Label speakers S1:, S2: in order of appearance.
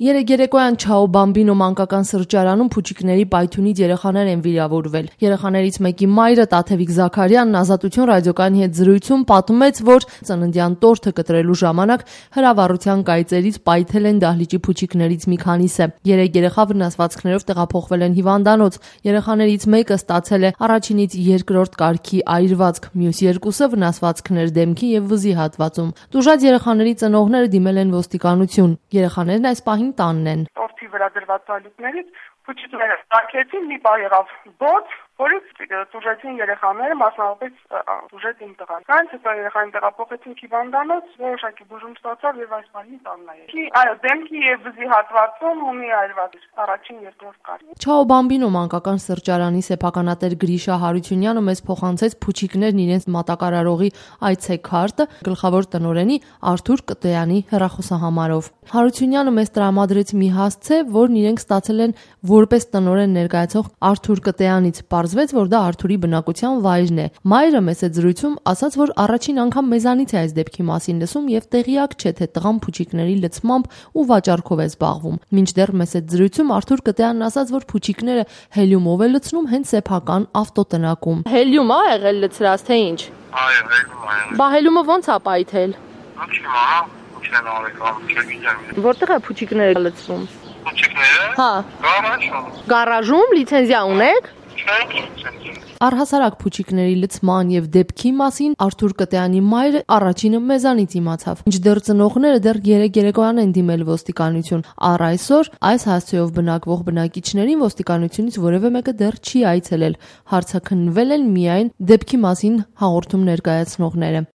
S1: Երեկոյան Չաո Բամբինո մանկական սրճարանում փուչիկների պայթյունից երեխաներ են վիրավորվել։ Երեխաներից մեկի մայրը Տաթևիկ Զաքարյանն Ազատություն ռադիոկայանի հետ զրույցում պատմեց, որ ծննդյան տորթը կտրելու ժամանակ հրավառության կայծերից պայթել են դահլիճի փուչիկներից մի քանիսը։ 3 երեխա վնասվածքներով տեղափոխվել են հիվանդանոց։ Երեխաներից մեկը ստացել է առաջինից երկրորդ կարգի այրվածք, մյուս երկուսը վնասվածքներ դեմքի եւ վզի հատվածում։ Տուժած երեխաների ծնողները դիմել են ոստիկանություն։ Երեխաներն այս պահին տանն են։
S2: Տորթի վրա դրված սալիկներից փուչիկները ստացեցին, մի պահ եղավ բոց, որից տուժեցին երեխաները, մասնավորապես տուժեց իմ տղան։ Դրանից հետո երեխային տեղափոխեցին հիվանդանոց, որոշակի բուժում ստացավ եւ այս պահին տանն է։ Այո, դեմքի եւ վզի հատվածում ունի այրված առաջին երկրորդ կարգ։
S1: Չաո Բամբինո մանկական սրճարանի սեփականատեր Գրիշա Հարությունյանը մեզ փոխանցեց փուչիկներն իրենց մատակարարողի այցեքարտը գլխավոր տնօրենի Արթուր Կտոյանի հեռախոսահամարով։ Հարությունյանը մեզ տրամադրեց մի հասցե, որն իրենք ստացել են որպես տնօրեն ներկայացող Արթուր Կտոյանից։ Պարզվեց, որ դա Արթուրի բնակության վայրն է։ Մայրը մեծ զրույցում ասաց, որ առաջին անգամ մեզանից է այս դեպքի մասին լսում եւ տեղյակ չէ, թե տղան փուչիկների լցմամբ ու վաճառքով է զբաղվում։ Մինչդեռ մեծ զրույցում Արթուր Կտոյանն ասաց, որ փուչիկները հելիումով է լցնում հենց սեփական ավտոտնակում։ Հելիում է եղել լցրած, թե ինչ։
S2: Այո, հելիում է։
S1: Բա հելիումը ո՞նց է պայթել։ Որտեղ է փուչիկները լցվում։
S2: Փուչիկները։
S1: Հա։
S2: Գարաժում։
S1: Գարաժում լիցենզիա ունեք։
S2: Չէ։
S1: Առհասարակ փուչիկների լցման եւ դեպքի մասին Արթուր Կտոյանի մայրը առաջինը մեզանից իմացավ։ Մինչդեռ ծնողները դեռ երեկոյան են դիմել ոստիկանություն։ Առ այսօր այս հասցեով բնակվող բնակիչներին ոստիկանությունից որևէ մեկը դեռ չի այցելել։ Հարցաքննվել են միայն դեպքի մասին հաղորդում ներկայացնողները։